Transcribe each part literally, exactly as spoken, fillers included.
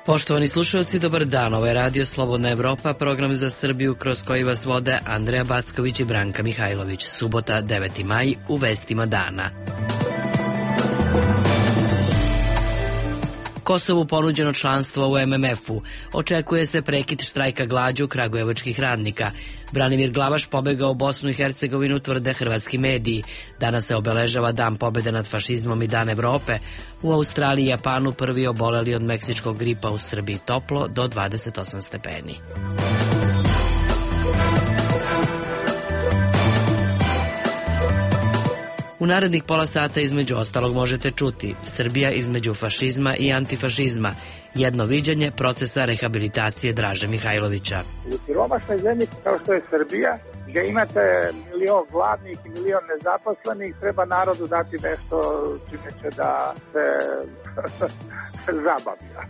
Poštovani slušalci, dobar dan. Ovo je Radio Slobodna Evropa, program za Srbiju kroz koji vas vode Andreja Backović i Branka Mihajlović. Subota, deveti maj, u vestima dana. Kosovu ponuđeno članstvo u em em efu. Očekuje se prekid štrajka glađu kragujevačkih radnika. Branimir Glavaš pobegao u Bosnu i Hercegovinu, tvrde hrvatski mediji. Danas se obeležava Dan pobjede nad fašizmom i Dan Evrope. U Australiji i Japanu prvi oboleli od meksičkog gripa, u Srbiji toplo do dvadeset osam stepeni. U narednih pola sata između ostalog možete čuti: Srbija između fašizma i antifašizma, jedno viđenje procesa rehabilitacije Draže Mihajlovića. U siromašnoj zemlji kao što je Srbija, gdje imate milion gladnih i milion nezaposlenih, treba narodu dati nešto čime će da se zabavlja.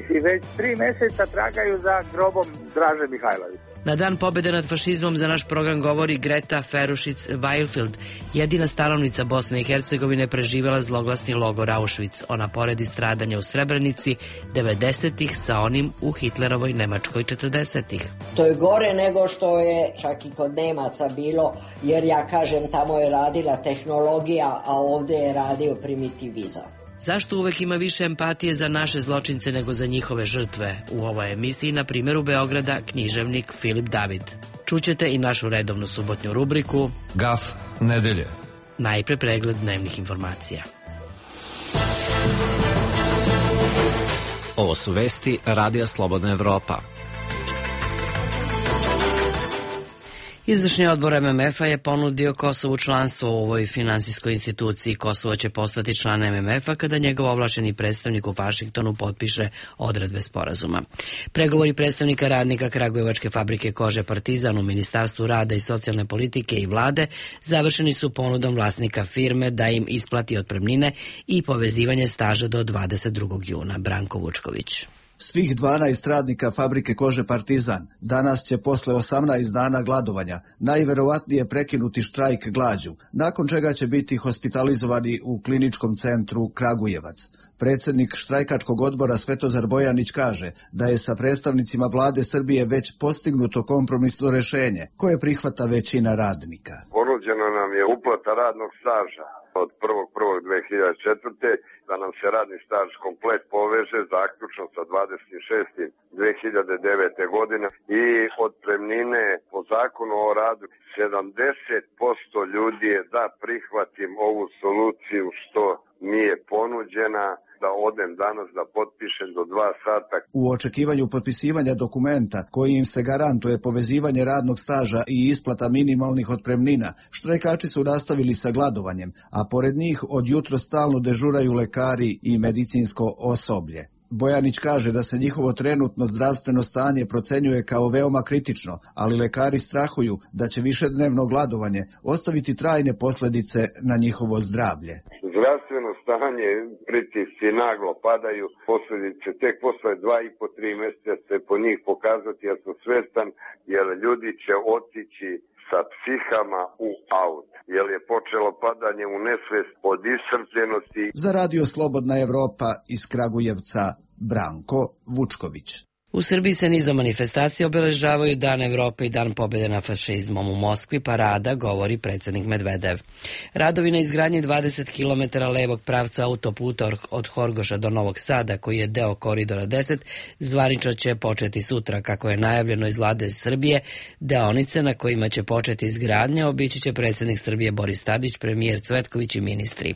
I već tri mjeseca tragaju za grobom Draže Mihajlovića. Na Dan pobjede nad fašizmom za naš program govori Greta Ferušić-Weilfeld, jedina stanovnica Bosne i Hercegovine preživjela zloglasni logor Auschwitz. Ona poredi stradanja u Srebrenici devedesetih sa onim u Hitlerovoj Nemačkoj četrdesetih. To je gore nego što je čak i kod Nemaca bilo, jer ja kažem tamo je radila tehnologija, a ovdje je radio primitivizam. Zašto uvek ima više empatije za naše zločince nego za njihove žrtve? U ovoj emisiji, na primjeru Beograda, književnik Filip David. Čućete i našu redovnu subotnju rubriku Gaf nedelje. Najpre pregled dnevnih informacija. Ovo su vesti Radija Slobodna Evropa. Izvršni odbor em em efa je ponudio Kosovu članstvo u ovoj finansijskoj instituciji. Kosovo će postati član em em efa kada njegov ovlašćeni predstavnik u Vašingtonu potpiše odredbe sporazuma. Pregovori predstavnika radnika Kragujevačke fabrike kože Partizan u Ministarstvu rada i socijalne politike i vlade završeni su ponudom vlasnika firme da im isplati otpremnine i povezivanje staža do dvadeset drugog juna. Branko Vučković. Svih dvanaest radnika fabrike kože Partizan danas će posle osamnaest dana gladovanja najverovatnije prekinuti štrajk glađu, nakon čega će biti hospitalizovani u kliničkom centru Kragujevac. Predsjednik štrajkačkog odbora Svetozar Bojanić kaže da je sa predstavnicima vlade Srbije već postignuto kompromisno rješenje koje prihvata većina radnika. Ponuđeno nam je uplata radnog staža od prvog prvog dve hiljade četvrte da nam se radni staž komplet poveže zaključno sa dvadeset šestim dve hiljade devete godine i otpremnine po zakonu o radu. sedamdeset posto ljudi je da prihvatim ovu soluciju što mi je ponuđena, da odem danas da potpišem do dva sata. U očekivanju potpisivanja dokumenta koji im se garantuje povezivanje radnog staža i isplata minimalnih otpremnina, štrajkači su nastavili sa gladovanjem, a pored njih od jutro stalno dežuraju lekari i medicinsko osoblje. Bojanić kaže da se njihovo trenutno zdravstveno stanje procenjuje kao veoma kritično, ali lekari strahuju da će višednevno gladovanje ostaviti trajne posljedice na njihovo zdravlje. Zdravstveno stanje, pritisci naglo padaju, posljedice tek posle dva i po tri mjeseca se po njih pokazati, ja sam svestan, jer ljudi će otići sa psihama u aut, jer je počelo padanje u nesvest od iscrpljenosti. Za Radio Slobodna Evropa iz Kragujevca, Branko Vučković. U Srbiji se nizom manifestacija obeležavaju Dan Evrope i Dan pobjede nad fašizmom. U Moskvi parada, govori predsjednik Medvedev. Radovi na izgradnji dvadeset kilometara levog pravca autoputa od Horgoša do Novog Sada, koji je deo Koridora deset, zvanično će početi sutra. Kako je najavljeno iz vlade Srbije, deonice na kojima će početi izgradnja obići će predsjednik Srbije Boris Tadić, premijer Cvetković i ministri.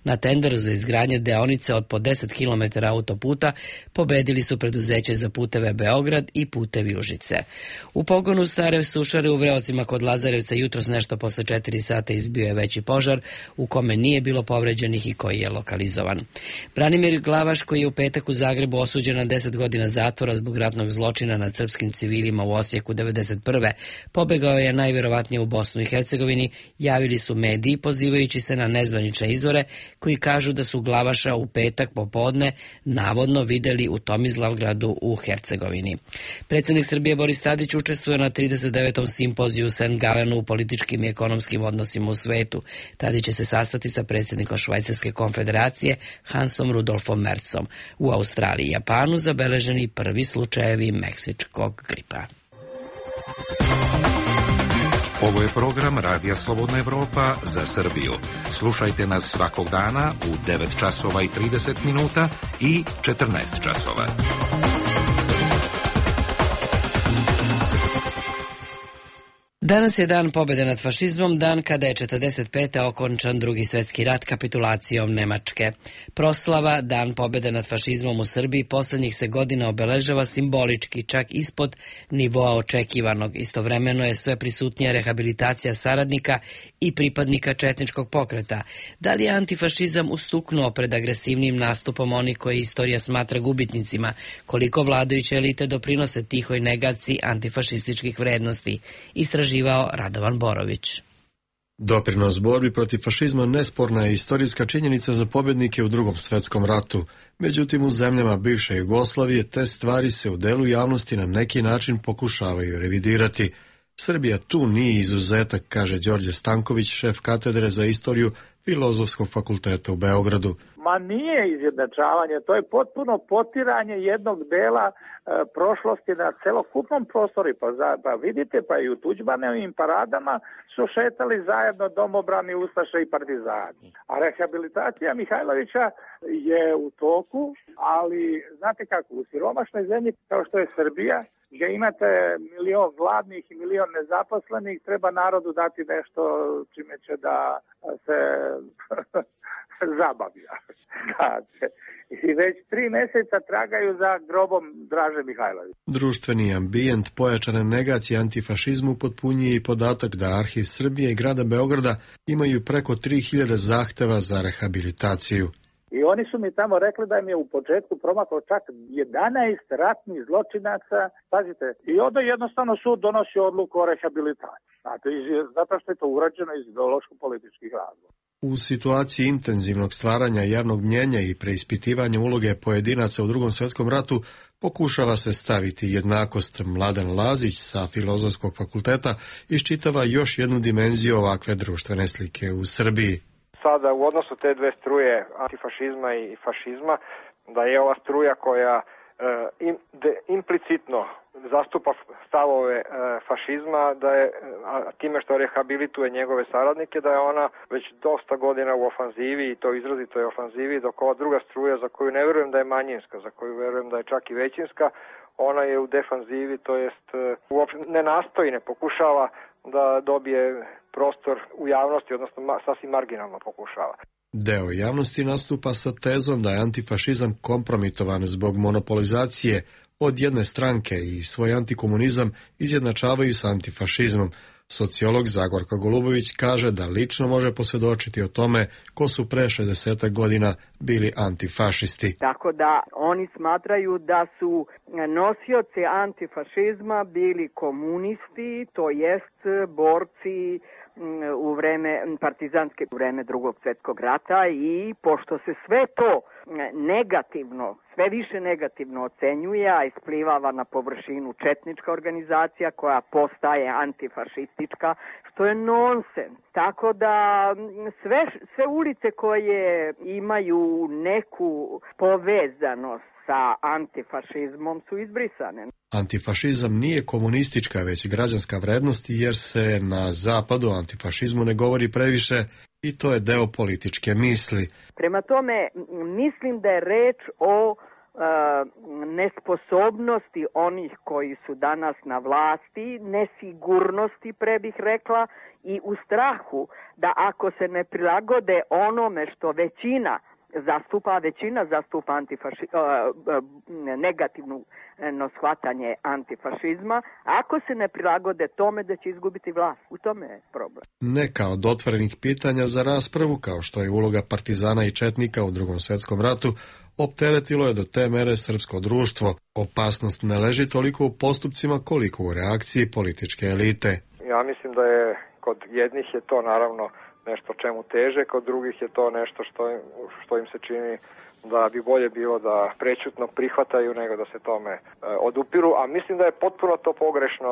Na tenderu za izgradnje deonice od po deset kilometara autoputa pobedili su preduzeće za puteve Beograd i putevi Užice. U pogonu stare sušare u Vreocima kod Lazarevca jutros nešto posle četiri sata izbio je veći požar u kome nije bilo povređenih i koji je lokalizovan. Branimir Glavaš, koji je u petak u Zagrebu osuđen na deset godina zatvora zbog ratnog zločina nad srpskim civilima u Osijeku devedeset prve, pobegao je najverovatnije u Bosnu i Hercegovini, javili su mediji pozivajući se na nezvanične izvore koji kažu da su Glavaša u petak popodne navodno videli u Tomizlavgradu u Hercegovini. Hercegovini. Predsjednik Srbije Boris Tadić učestvuje na trideset devetom simpoziju u Saint Gallenu u političkim i ekonomskim odnosima u svetu. Tadić će se sastati sa predsjednikom Švajcarske konfederacije Hansom Rudolfom Mercom. U Australiji i Japanu zabeleženi prvi slučajevi meksičkog gripa. Ovo je program Radija Slobodna Evropa za Srbiju. Slušajte nas svakog dana u devet časova i trideset minuta i četrnaest časova. Danas je dan pobjede nad fašizmom, dan kada je četrdeset pete okončan drugi svjetski rat kapitulacijom Nemačke. Proslava Dan pobjede nad fašizmom u Srbiji posljednjih se godina obeležava simbolički, čak ispod nivoa očekivanog. Istovremeno je sve prisutnija rehabilitacija saradnika i pripadnika četničkog pokreta. Da li je antifašizam ustuknuo pred agresivnim nastupom onih koje istorija smatra gubitnicima? Koliko vladajuće elite doprinose tihoj negaciji antifašističkih vrednosti? Istraživao Radovan Borović. Doprinos borbi protiv fašizma nesporna je istorijska činjenica za pobjednike u drugom svjetskom ratu. Međutim, u zemljama bivše Jugoslavije te stvari se u delu javnosti na neki način pokušavaju revidirati. Srbija tu nije izuzetak, kaže Đorđe Stanković, šef katedre za istoriju Filozofskog fakulteta u Beogradu. Ma nije izjednačavanje, to je potpuno potiranje jednog dela e, prošlosti na celokupnom prostoru. Pa, za, pa vidite, pa i u Tuđmanovim paradama su šetali zajedno domobrani, ustaše i partizani. A rehabilitacija Mihajlovića je u toku, ali znate kako, u siromašnoj zemlji kao što je Srbija, gdje imate milion gladnih i milion nezaposlenih, treba narodu dati nešto čime će da se zabavlja. I već tri mjeseca tragaju za grobom Draže Mihajlovića. Društveni ambijent pojačane negacije antifašizmu potpunjuje i podatak da Arhiv Srbije i grada Beograda imaju preko tri hiljade zahteva za rehabilitaciju. I oni su mi tamo rekli da im je u početku promaklo čak jedanaest ratnih zločinaca. Pazite, i onda jednostavno sud donosi odluku o rehabilitaciji. Znate, zato što je to urađeno iz ideološko-političkih razloga. U situaciji intenzivnog stvaranja javnog mnjenja i preispitivanja uloge pojedinaca u drugom svjetskom ratu pokušava se staviti jednakost. Mladen Lazić sa Filozofskog fakulteta iščitava još jednu dimenziju ovakve društvene slike u Srbiji. Sada u odnosu te dve struje antifašizma i fašizma, da je ova struja koja e, im, de, implicitno zastupa stavove e, fašizma, da je a, time što rehabilituje njegove saradnike, da je ona već dosta godina u ofanzivi i to izrazito je ofanzivi, dok ova druga struja za koju ne verujem da je manjinska, za koju verujem da je čak i većinska, ona je u defanzivi, to jest e, uopšte ne nastoji, ne pokušava da dobije prostor u javnosti, odnosno ma, sasvim marginalno pokušava. Deo javnosti nastupa sa tezom da je antifašizam kompromitovan zbog monopolizacije od jedne stranke i svoj antikomunizam izjednačavaju sa antifašizmom. Sociolog Zagorka Golubović kaže da lično može posvjedočiti o tome ko su pre šezdeset godina bili antifašisti. Tako da oni smatraju da su nosioci antifašizma bili komunisti, to jest borci u vreme partizanske u vreme drugog svjetskog rata, i pošto se sve to negativno, sve više negativno ocenjuje, a isplivava na površinu četnička organizacija koja postaje antifašistička, što je nonsens. Tako da sve, sve ulice koje imaju neku povezanost sa antifašizmom su izbrisane. Antifašizam nije komunistička, već građanska vrednost, jer se na zapadu o antifašizmu ne govori previše i to je deo političke misli. Prema tome, mislim da je reč o e, nesposobnosti onih koji su danas na vlasti, nesigurnosti, pre bih rekla, i u strahu da ako se ne prilagode onome što većina zastupa, većina zastupa antifaši, negativno shvatanje antifašizma, ako se ne prilagode tome da će izgubiti vlast. U tome je problem. Neka od otvorenih pitanja za raspravu, kao što je uloga partizana i četnika u drugom svjetskom ratu, opteretilo je do te mere srpsko društvo. Opasnost ne leži toliko u postupcima koliko u reakciji političke elite. Ja mislim da je kod jednih je to naravno nešto čemu teže, kod drugih je to nešto što, što im se čini da bi bolje bilo da prećutno prihvataju nego da se tome odupiru, a mislim da je potpuno to pogrešno.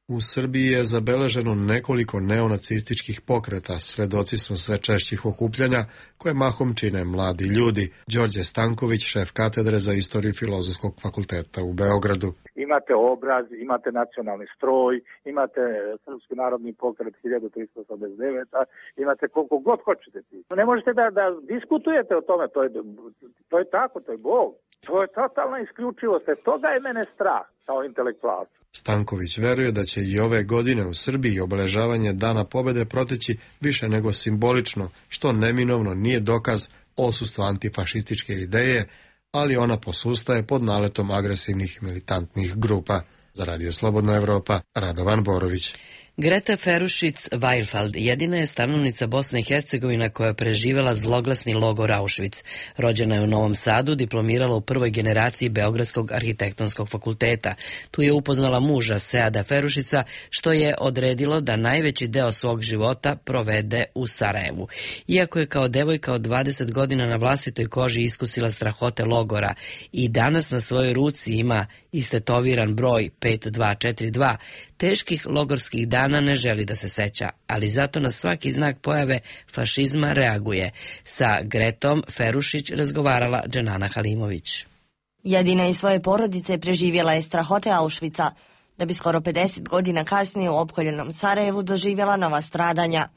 U Srbiji je zabeleženo nekoliko neonacističkih pokreta, svedoci smo sve češćih okupljanja koje mahom čine mladi ljudi. Đorđe Stanković, šef katedre za istoriju Filozofskog fakulteta u Beogradu. Imate obraz, imate nacionalni stroj, imate Srpski narodni pokret hiljadu tristo osamdeset devet, imate koliko god hoćete ti. Ne možete da, da diskutujete o tome, to je, to je tako, to je Bog. To je totalna isključivost, toga je mene strah kao intelektualca. Stanković veruje da će i ove godine u Srbiji obeležavanje Dana pobede proteći više nego simbolično, što neminovno nije dokaz odsustva antifašističke ideje, ali ona posustaje pod naletom agresivnih i militantnih grupa. Za Radio Slobodna Evropa, Radovan Borović. Greta Ferušić-Weinfeld jedina je stanovnica Bosne i Hercegovine koja je preživela zloglasni logor Auschwitz. Rođena je u Novom Sadu, diplomirala u prvoj generaciji Beogradskog arhitektonskog fakulteta. Tu je upoznala muža Seada Ferušića, što je odredilo da najveći deo svog života provede u Sarajevu. Iako je kao devojka od dvadeset godina na vlastitoj koži iskusila strahote logora i danas na svojoj ruci ima istetoviran broj pet dva četiri dva, teških logorskih dana ne želi da se seća, ali zato na svaki znak pojave fašizma reaguje. Sa Gretom Ferušić razgovarala Dženana Halimović. Jedina iz svoje porodice preživjela je strahote Auschwitza, da bi skoro pedeset godina kasnije u opkoljenom Sarajevu doživjela nova stradanja.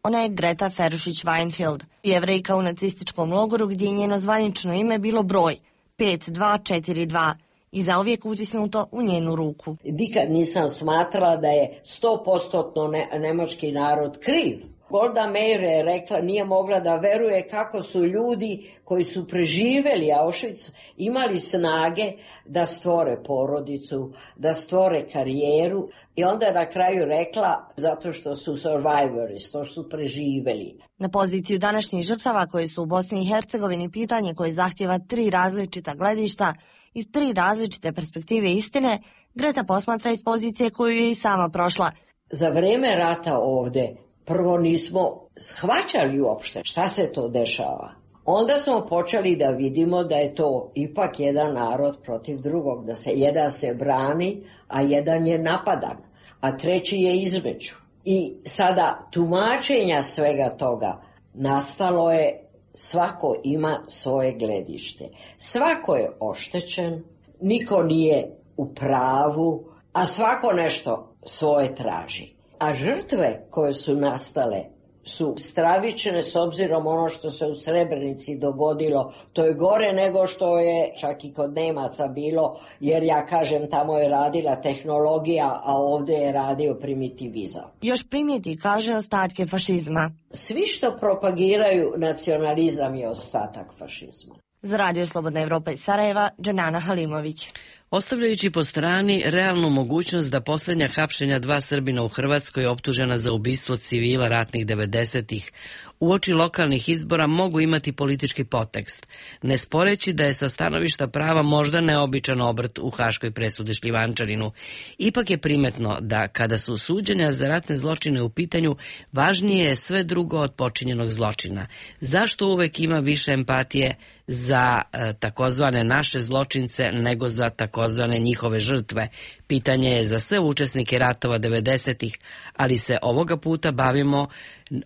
Ona je Greta Ferušić-Weinfeld, Jevrejka u nacističkom logoru gdje je njeno zvanično ime bilo broj pet dva četiri dva. I zauvijek utisnuto u njenu ruku. Nikad nisam smatrala da je sto posto ne, nemački narod kriv. Golda Meir je rekla, nije mogla da veruje kako su ljudi koji su preživjeli Auschwitz imali snage da stvore porodicu, da stvore karijeru. I onda je na kraju rekla, zato što su survivors, to su preživjeli. Na poziciju današnjih žrtava koje su u Bosni i Hercegovini pitanje koje zahtjeva tri različita gledišta, iz tri različite perspektive istine, Greta posmatra iz pozicije koju je i sama prošla. Za vrijeme rata ovdje prvo nismo shvaćali uopšte šta se to dešava. Onda smo počeli da vidimo da je to ipak jedan narod protiv drugog, da se jedan se brani, a jedan je napadan, a treći je između. I sada tumačenja svega toga nastalo je, svako ima svoje gledište. Svako je oštećen, niko nije u pravu, a svako nešto svoje traži. A žrtve koje su nastale su stravične s obzirom ono što se u Srebrenici dogodilo. To je gore nego što je čak i kod Nemaca bilo, jer ja kažem tamo je radila tehnologija, a ovdje je radio primitivizam. Još primijeti, kaže, ostatke fašizma. Svi što propagiraju nacionalizam je ostatak fašizma. Za Radio Slobodna Evropa iz Sarajeva, Dženana Halimović. Ostavljajući po strani realnu mogućnost da posljednja hapšenja dva Srbina u Hrvatskoj optužena za ubistvo civila ratnih devedesetih uoči lokalnih izbora mogu imati politički potekst, ne sporeći da je sa stanovišta prava možda neobičan obrt u haškoj presudi Šljivančaninu. Ipak je primetno da kada su suđenja za ratne zločine u pitanju, važnije je sve drugo od počinjenog zločina. Zašto uvek ima više empatije za e, takozvane naše zločince nego za takozvane njihove žrtve? Pitanje je za sve učesnike ratova devedesetih, ali se ovoga puta bavimo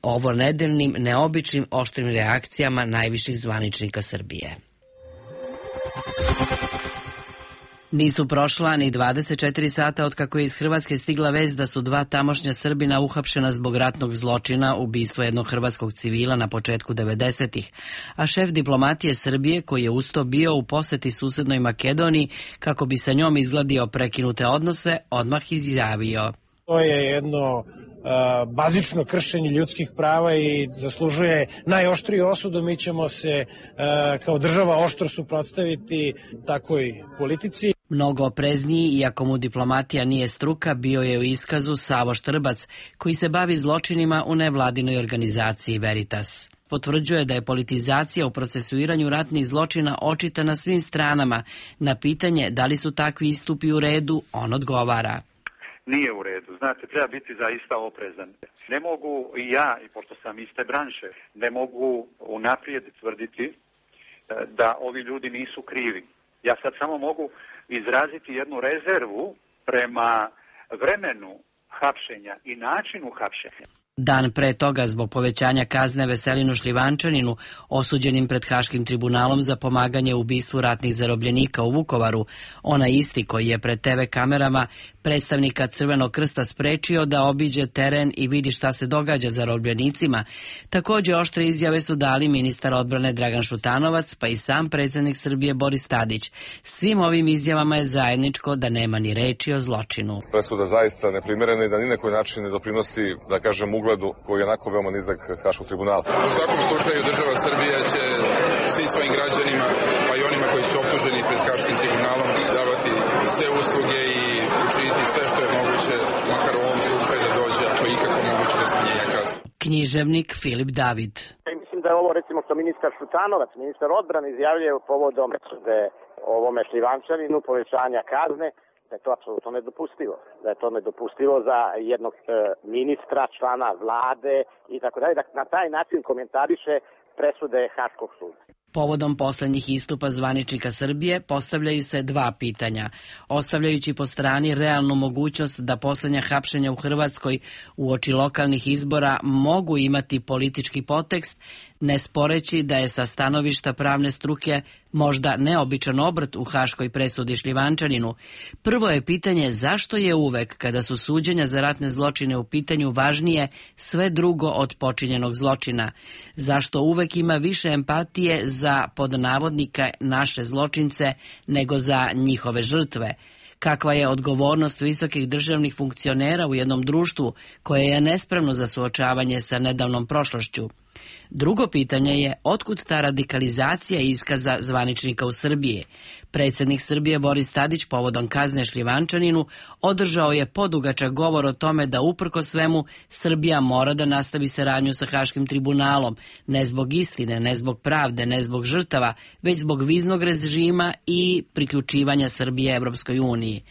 ovo nedeljnim, neobičnim, oštrim reakcijama najviših zvaničnika Srbije. Nisu prošla ni dvadeset četiri sata od kako je iz Hrvatske stigla vest da su dva tamošnja Srbina uhapšena zbog ratnog zločina, ubistva jednog hrvatskog civila na početku devedesetih, a šef diplomatije Srbije, koji je usto bio u poseti susednoj Makedoniji kako bi sa njom izgladio prekinute odnose, odmah izjavio: To je jedno uh, bazično kršenje ljudskih prava i zaslužuje najoštriju osudu. Mi ćemo se uh, kao država oštro suprotstaviti takvoj politici. Mnogo oprezniji, iako mu diplomatija nije struka, bio je u iskazu Savo Štrbac, koji se bavi zločinima u nevladinoj organizaciji Veritas. Potvrđuje da je politizacija u procesuiranju ratnih zločina očita na svim stranama. Na pitanje da li su takvi istupi u redu, on odgovara: Nije u redu. Znate, treba biti zaista oprezan. Ne mogu i ja, i pošto sam iste branše, ne mogu unaprijed tvrditi da ovi ljudi nisu krivi. Ja sad samo mogu izraziti jednu rezervu prema vremenu hapšenja i načinu hapšenja. Dan pre toga, zbog povećanja kazne Veselinu Šljivančaninu, osuđenim pred Haškim tribunalom za pomaganje u ubistvu ratnih zarobljenika u Vukovaru, onaj isti koji je pred te ve kamerama predstavnika Crvenog krsta sprečio da obiđe teren i vidi šta se događa zarobljenicima, takođe oštre izjave su dali ministar odbrane Dragan Šutanovac, pa i sam predsjednik Srbije Boris Tadić. Svim ovim izjavama je zajedničko da nema ni reči o zločinu. Presuda zaista neprimerena i da ni na koji način ne doprinosi, da kažem, ugledu koji je onako veoma nizak Haškog tribunala. U svakom slučaju država Srbija će svim svojim građanima, pa i onima koji su optuženi pred Haškim tribunalom, davati sve usluge i učiniti sve što je moguće, makar u ovom slučaju da dođe, ako je ikako moguće, do smanjenja kazne. Književnik Filip David. Mislim da je ovo, recimo, što ministar Šutanovac, ministar odbrane, izjavljuje povodom presude ovome Šljivančaninu, povećanja kazne, da je to apsolutno nedopustivo. Da je to nedopustivo za jednog e, ministra, člana vlade i tako dalje. Da na taj način komentariše presude Haškog suda. Povodom poslednjih istupa zvaničnika Srbije postavljaju se dva pitanja, ostavljajući po strani realnu mogućnost da poslednja hapšenja u Hrvatskoj uoči lokalnih izbora mogu imati politički podtekst, ne sporeći da je sa stanovišta pravne struke možda neobičan obrt u haškoj presudi Šljivančaninu. Prvo je pitanje zašto je uvek, kada su suđenja za ratne zločine u pitanju, važnije sve drugo od počinjenog zločina. Zašto uvek ima više empatije za, pod navodnika, naše zločince nego za njihove žrtve? Kakva je odgovornost visokih državnih funkcionera u jednom društvu koje je nespremno za suočavanje sa nedavnom prošlošću? Drugo pitanje je otkud ta radikalizacija iskaza zvaničnika u Srbiji. Predsjednik Srbije Boris Tadić povodom kazne Šljivančaninu održao je podugačak govor o tome da uprko svemu Srbija mora da nastavi saradnju sa Haškim tribunalom, ne zbog istine, ne zbog pravde, ne zbog žrtava, već zbog viznog režima i priključivanja Srbije Evropskoj uniji.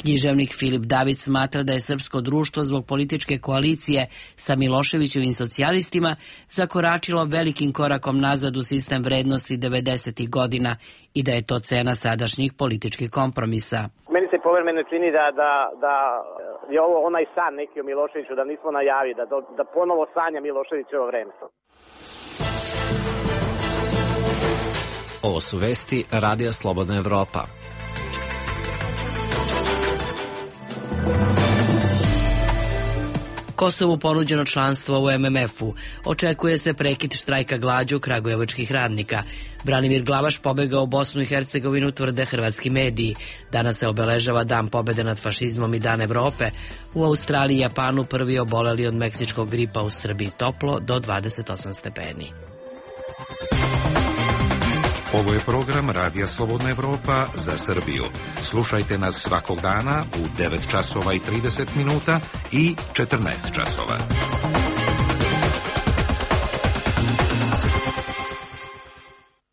Književnik Filip David smatra da je srpsko društvo zbog političke koalicije sa Miloševićevim socijalistima zakoračilo velikim korakom nazad u sistem vrednosti devedesetih godina i da je to cena sadašnjih političkih kompromisa. Meni se povremeno čini da, da, da je ovo onaj san neki o Miloševiću, da nismo najavi, da, da ponovo sanja Miloševićevo vreme. Ovo su vesti Radija Slobodna Evropa. Kosovu ponuđeno članstvo u em em efu. Očekuje se prekid štrajka glađu kragujevačkih radnika. Branimir Glavaš pobegao u Bosnu i Hercegovinu, tvrde hrvatski mediji. Danas se obeležava Dan pobede nad fašizmom i Dan Evrope. U Australiji i Japanu prvi oboleli od meksičkog gripa, u Srbiji toplo do dvadeset osam stepeni. Ovo je program Radija Slobodna Evropa za Srbiju. Slušajte nas svakog dana u devet časova i trideset minuta i četrnaest časova.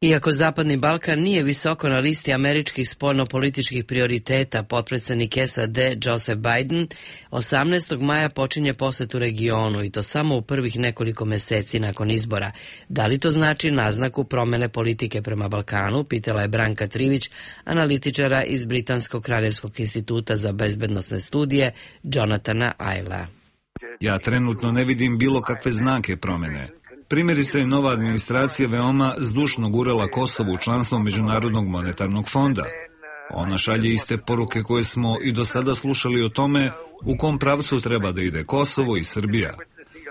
Iako Zapadni Balkan nije visoko na listi američkih spoljnopolitičkih prioriteta, potpredsjednik es a de Joseph Biden osamnaestog maja počinje posetu regionu i to samo u prvih nekoliko meseci nakon izbora. Da li to znači naznaku promene politike prema Balkanu, pitala je Branka Trivić, analitičara iz Britanskog kraljevskog instituta za bezbednosne studije Jonathana Ayla. Ja trenutno ne vidim bilo kakve znake promene. Primjerice je nova administracija veoma zdušno gurala Kosovo u članstvo Međunarodnog monetarnog fonda. Ona šalje iste poruke koje smo i do sada slušali o tome u kom pravcu treba da ide Kosovo i Srbija.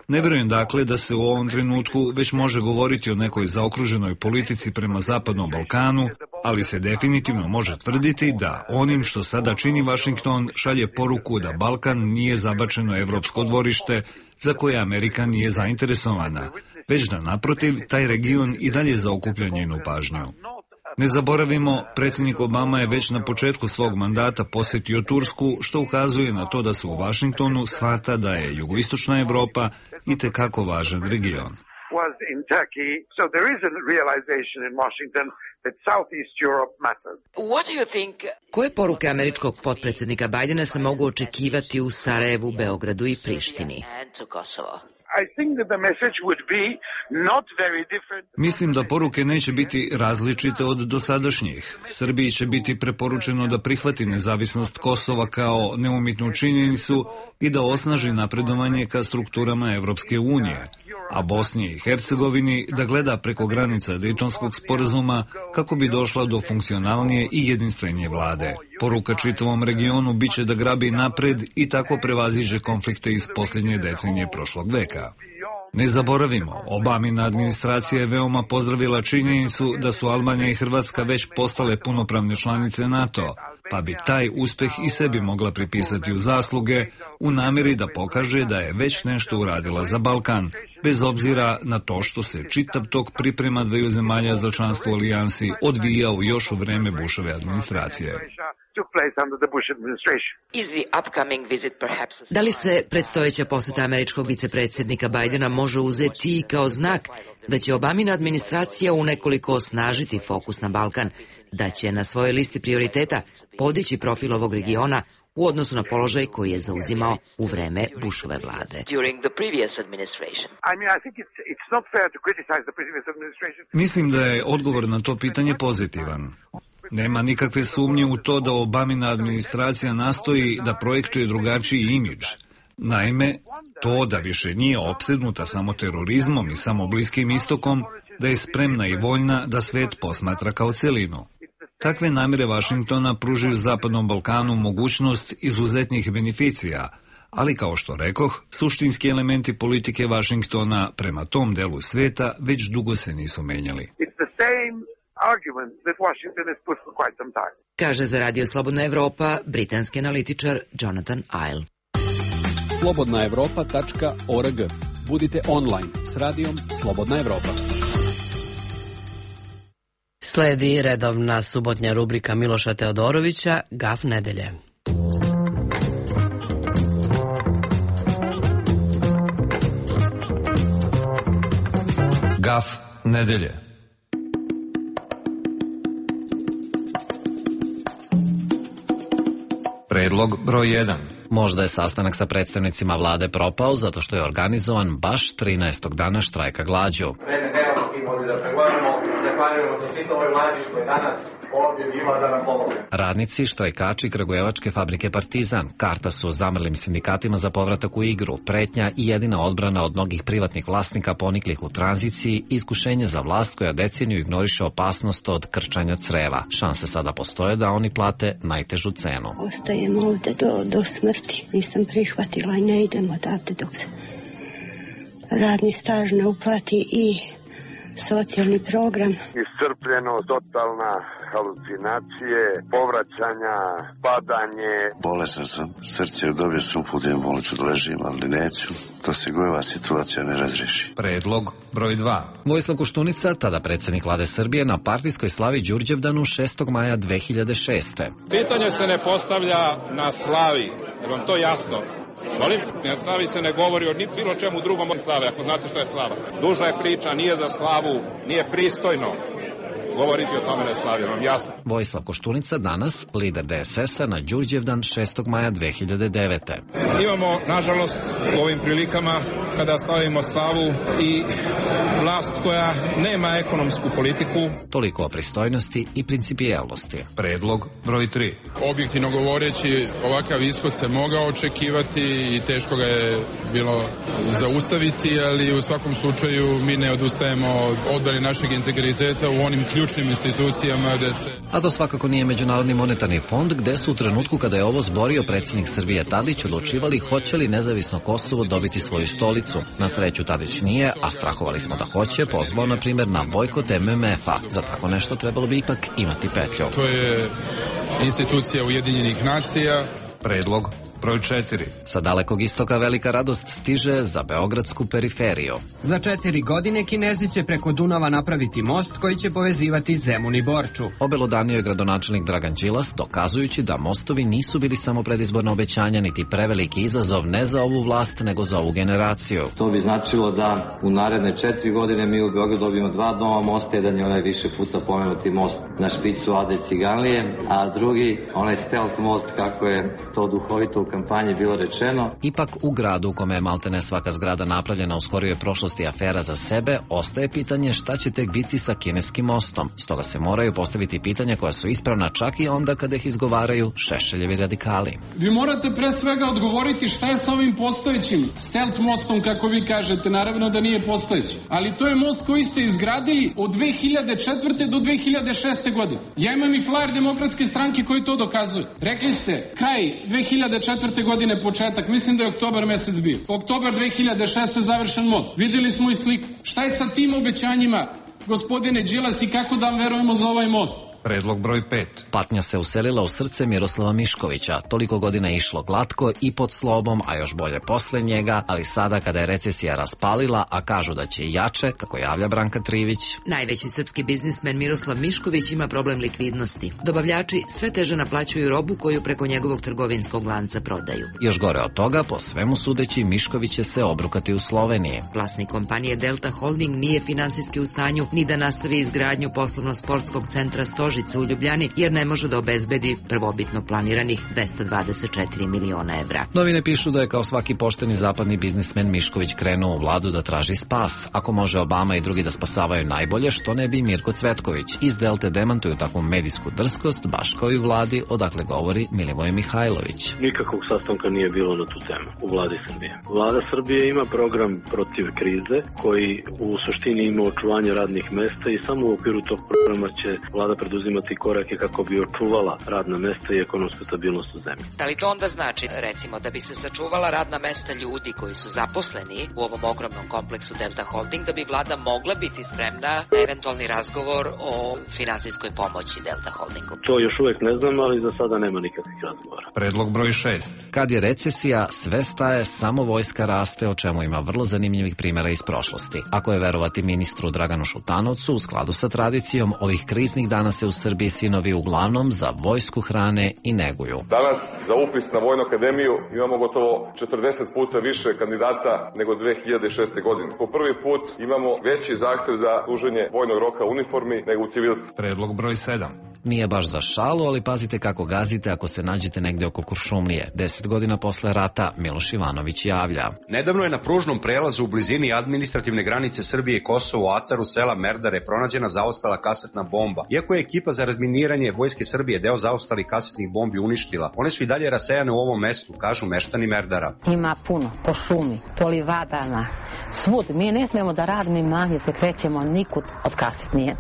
Ne vjerujem dakle da se u ovom trenutku već može govoriti o nekoj zaokruženoj politici prema Zapadnom Balkanu, ali se definitivno može tvrditi da onim što sada čini Vašington šalje poruku da Balkan nije zabačeno evropsko dvorište za koje Amerika nije zainteresovana, već da naprotiv taj region i dalje zaokuplja njenu pažnju. Ne zaboravimo, predsjednik Obama je već na početku svog mandata posjetio Tursku, što ukazuje na to da se u Vašingtonu shvata da je jugoistočna Evropa itekako važan region. Koje poruke američkog potpredsjednika Bajdena se mogu očekivati u Sarajevu, Beogradu i Prištini? Mislim da poruke neće biti različite od dosadašnjih. Srbiji će biti preporučeno da prihvati nezavisnost Kosova kao neumitnu činjenicu i da osnaži napredovanje ka strukturama Evropske unije, a Bosni i Hercegovini da gleda preko granica Dejtonskog sporazuma kako bi došla do funkcionalnije i jedinstvenije vlade. Poruka čitavom regionu biće da grabi napred i tako prevaziđe konflikte iz posljednje decenije prošlog veka. Ne zaboravimo, Obamina administracija je veoma pozdravila činjenicu da su Albanija i Hrvatska već postale punopravne članice NATO, pa bi taj uspeh i sebi mogla pripisati u zasluge u namjeri da pokaže da je već nešto uradila za Balkan, bez obzira na to što se čitav tok priprema dveju zemalja za članstvo u alijansi odvijao još u vreme Bushove administracije. Da li se predstojeća poseta američkog vicepredsjednika Bajdena može uzeti i kao znak da će Obamina administracija u nekoliko osnažiti fokus na Balkan, da će na svojoj listi prioriteta podići profil ovog regiona u odnosu na položaj koji je zauzimao u vreme Bushove vlade? Mislim da je odgovor na to pitanje pozitivan. Nema nikakve sumnje u to da Obamina administracija nastoji da projektuje drugačiji imidž. Naime, to da više nije opsednuta samo terorizmom i samo Bliskim istokom, da je spremna i voljna da svet posmatra kao celinu. Takve namjere Vašingtona pružaju Zapadnom Balkanu mogućnost izuzetnih beneficija, ali kao što rekoh, suštinski elementi politike Vašingtona prema tom delu sveta već dugo se nisu menjali. Kaže za Radio Slobodna Evropa britanski analitičar Jonathan Iles. slobodna evropa tačka org. Budite online s radijom Slobodna Evropa. Sledi redovna subotnja rubrika Miloša Teodorovića, Gaf nedelje. Gaf nedelje. Predlog broj jedan. Možda je sastanak sa predstavnicima vlade propao zato što je organizovan baš trinaestog dana štrajka glađu. Radnici, štrajkači Kragujevačke fabrike Partizan karta su zamrlim sindikatima za povratak u igru, pretnja i jedina odbrana od mnogih privatnih vlasnika poniklih u tranziciji i iskušenje za vlast koja deceniju ignoriše opasnost od krčanja creva. Šanse sada postoje da oni plate najtežu cenu. Ostajem ovde do, do smrti. Nisam prihvatila i ne idem odavde dok se radni staž ne uplati i socijalni program. Iscrpljeno, totalna halucinacije, povraćanja, padanje. Bolesan sam, srce je dobio sam uputio u bolnicu da ležim, ali neću. To se gojeva situacija ne razriješi. Predlog broj dva. Vojislav Koštunica, tada predsjednik vlade Srbije, na partijskoj slavi Đurđevdanu šestog maja dve hiljade šeste. Pitanje se ne postavlja na slavi, je vam to jasno? Molim, na slavi se ne govori o ni bilo čemu drugom od slave, ako znate što je slava. Duža je priča, nije za slavu, nije pristojno govoriti o tome na slavi, vam jasno. Vojislav Koštunica, danas lider D S S-a na Đurđevdan šestog maja dve hiljade devete. Imamo, nažalost, u ovim prilikama kada slavimo slavu i vlast koja nema ekonomsku politiku. Toliko o pristojnosti i principijelnosti. Predlog broj tri. Objektivno govoreći, ovakav ishod se mogao očekivati i teško ga je bilo zaustaviti, ali u svakom slučaju mi ne odustajemo od odbrane našeg integriteta u onim ključnim institucijama gde se... A to svakako nije Međunarodni monetarni fond, gde su u trenutku kada je ovo zborio predsjednik Srbije Tadić odlučivali hoće li nezavisno Kosovo dobiti svoju stolicu. Na sreću Tadić nije, a strahovali smo da hoće, pozvao na primjer na bojkot M M F-a. Za tako nešto trebalo bi ipak imati petlju. To je institucija Ujedinjenih nacija. Predlog broj četiri. Sa dalekog istoka velika radost stiže za beogradsku periferiju. Za četiri godine Kinezi će preko Dunava napraviti most koji će povezivati Zemun i Borču. Obelodanio je gradonačelnik Dragan Đilas, dokazujući da mostovi nisu bili samo predizborna obećanja, niti preveliki izazov ne za ovu vlast, nego za ovu generaciju. To bi značilo da u naredne četiri godine mi u Beogradu dobijemo dva nova mosta, jedan je onaj više puta pomenuti most na špicu Ade Ciganlije, a drugi onaj stealth most, kako je to duhovito kampanji bilo rečeno. Ipak u gradu u kome je maltene svaka zgrada napravljena u skorijoj prošlosti afera za sebe, ostaje pitanje šta će tek biti sa kineskim mostom. Stoga se moraju postaviti pitanja koja su ispravna čak i onda kada ih izgovaraju Šešeljevi radikali. Vi morate pre svega odgovoriti šta je sa ovim postojećim stelt mostom, kako vi kažete, naravno da nije postojeći. Ali to je most koji ste izgradili od dve hiljade četvrte do dve hiljade šeste godine. Ja imam i flajer Demokratske stranke koji to dokazuje. Rekli ste, kraj dve hiljade četvrte godine početak, mislim da je oktobar mesec bio. Oktobar dve hiljade šeste završen most. Videli smo i sliku. Šta je sa tim obećanjima, gospodine Đilas, i kako da vam verujemo za ovaj most? Predlog broj pet. Patnja se uselila u srce Miroslava Miškovića. Toliko godina je išlo glatko i pod slobom, a još bolje posle njega, ali sada kada je recesija raspalila, a kažu da će jače, kako javlja Branka Trivić. Najveći srpski biznismen Miroslav Mišković ima problem likvidnosti. Dobavljači sve teže naplaćuju robu koju preko njegovog trgovinskog lanca prodaju. Još gore od toga, po svemu sudeći, Mišković će se obrukati u Sloveniji. Vlasnik kompanije Delta Holding nije finansijski u stanju ni da nastavi izgradnju poslovno-sportskog centra Stožice u Ljubljani, jer ne može da obezbedi prvobitno planiranih dvesta dvadeset četiri miliona evra. Novine pišu da je kao svaki pošteni zapadni biznismen Mišković krenuo u vladu da traži spas. Ako može Obama i drugi da spasavaju najbolje, što ne bi Mirko Cvetković. Iz Delte demantuju takvu medijsku drskost, baš kao i vladi, odakle govori Milivoj Mihajlović. Nikakvog sastanka nije bilo na tu temu u vladi Srbije. Vlada Srbije ima program protiv krize koji u suštini ima očuvanje radnih mesta i samo u okviru tog programa će vlada preduzimati imati korake kako bi očuvala radna mesta i ekonomsku stabilnost u zemlji. Da li to onda znači, recimo, da bi se sačuvala radna mesta ljudi koji su zaposleni u ovom ogromnom kompleksu Delta Holding, da bi vlada mogla biti spremna na eventualni razgovor o finansijskoj pomoći Delta Holdingu? To još uvek ne znam, ali za sada nema nikakvih razgovora. Predlog broj šest. Kad je recesija, sve staje, samo vojska raste, o čemu ima vrlo zanimljivih primjera iz prošlosti. Ako je verovati ministru Draganu Šutanovcu, u skladu sa tradicijom, ovih kriznih dana se u Srbiji sinovi uglavnom za vojsku hrane i neguju. Danas za upis na Vojnu akademiju imamo gotovo četrdeset puta više kandidata nego dve hiljade šeste. godine. Po prvi put imamo veći zahtev za služenje vojnog roka u uniformi nego u civilstvu. Predlog broj sedam. Nije baš za šalu, ali pazite kako gazite ako se nađete negde oko Kuršumlije. Deset godina posle rata Miloš Ivanović javlja. Nedavno je na pružnom prelazu u blizini administrativne granice Srbije i Kosova u ataru sela Merdare pronađena zaostala kasetna bomba. Iako je ekipa za razminiranje Vojske Srbije deo zaostalih kasetnih bombi uništila, one su i dalje rasejane u ovom mestu, kažu meštani Merdara. Ima puno, po šumi, po livadama, svud. Mi ne smemo da radimo manje, se krećemo nikud od kasetnije.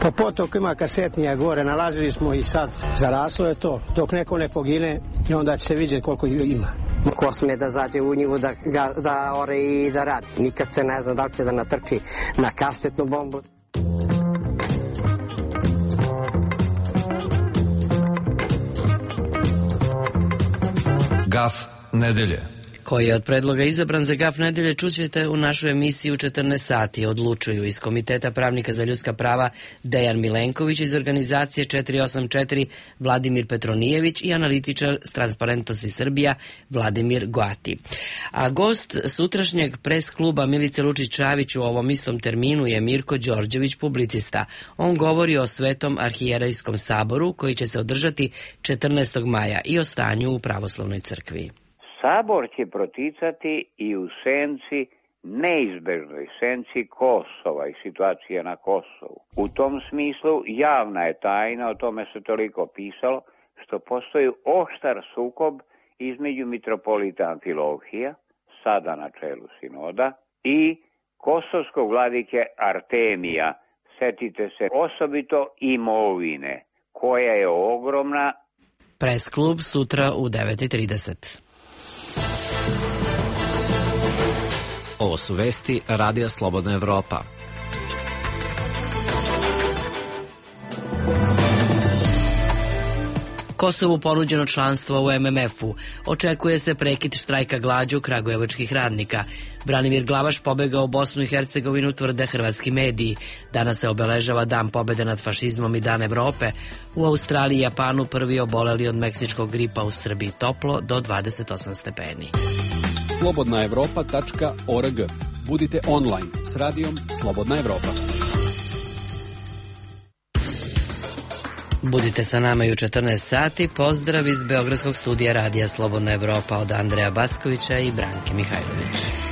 Po potoku ima kasetnija gore, nalazili smo i sad zaraslo je to, dok neko ne pogine i onda će se vidjeti koliko ima. Ko sme da zađe u njivu da, da ore i da radi. Nikad se ne zna da li će da natrči na kasetnu bombu. Gaf nedelje. Koji je od predloga izabran za Gaf nedelje čućete u našu emisiju u četrnaest sati. Odlučuju iz Komiteta pravnika za ljudska prava Dejan Milenković, iz organizacije četiri osam četiri Vladimir Petronijević i analitičar s Transparentnosti Srbija Vladimir Goati. A gost sutrašnjeg pres kluba Milice Lučić-Čavić u ovom istom terminu je Mirko Đorđević, publicista. On govori o Svetom arhijerejskom saboru koji će se održati četrnaestog maja i o stanju u pravoslavnoj crkvi. Sabor će proticati i u senci, neizbežnoj senci Kosova i situacije na Kosovu. U tom smislu javna je tajna, o tome se toliko pisalo, što postoji oštar sukob između mitropolita Amfilohija, sada na čelu sinoda, i kosovskog vladike Artemija. Setite se osobito imovine, koja je ogromna. Pres klub sutra u devet i trideset. Ovo su vesti Radija Slobodna Evropa. Kosovu ponuđeno članstvo u em em efu. Očekuje se prekid štrajka glađu kragujevačkih radnika. Branimir Glavaš pobegao u Bosnu i Hercegovinu, tvrde hrvatski mediji. Danas se obeležava Dan pobede nad fašizmom i Dan Evrope. U Australiji i Japanu prvi oboleli od meksičkog gripa, u Srbiji toplo do dvadeset osam stepeni. slobodna evropa tačka org. Budite online s radijom Slobodna Evropa. Budite sa nama i u četrnaest sati. Pozdrav iz Beogradskog studija Radija Slobodna Evropa od Andreja Backovića i Branke Mihajlović.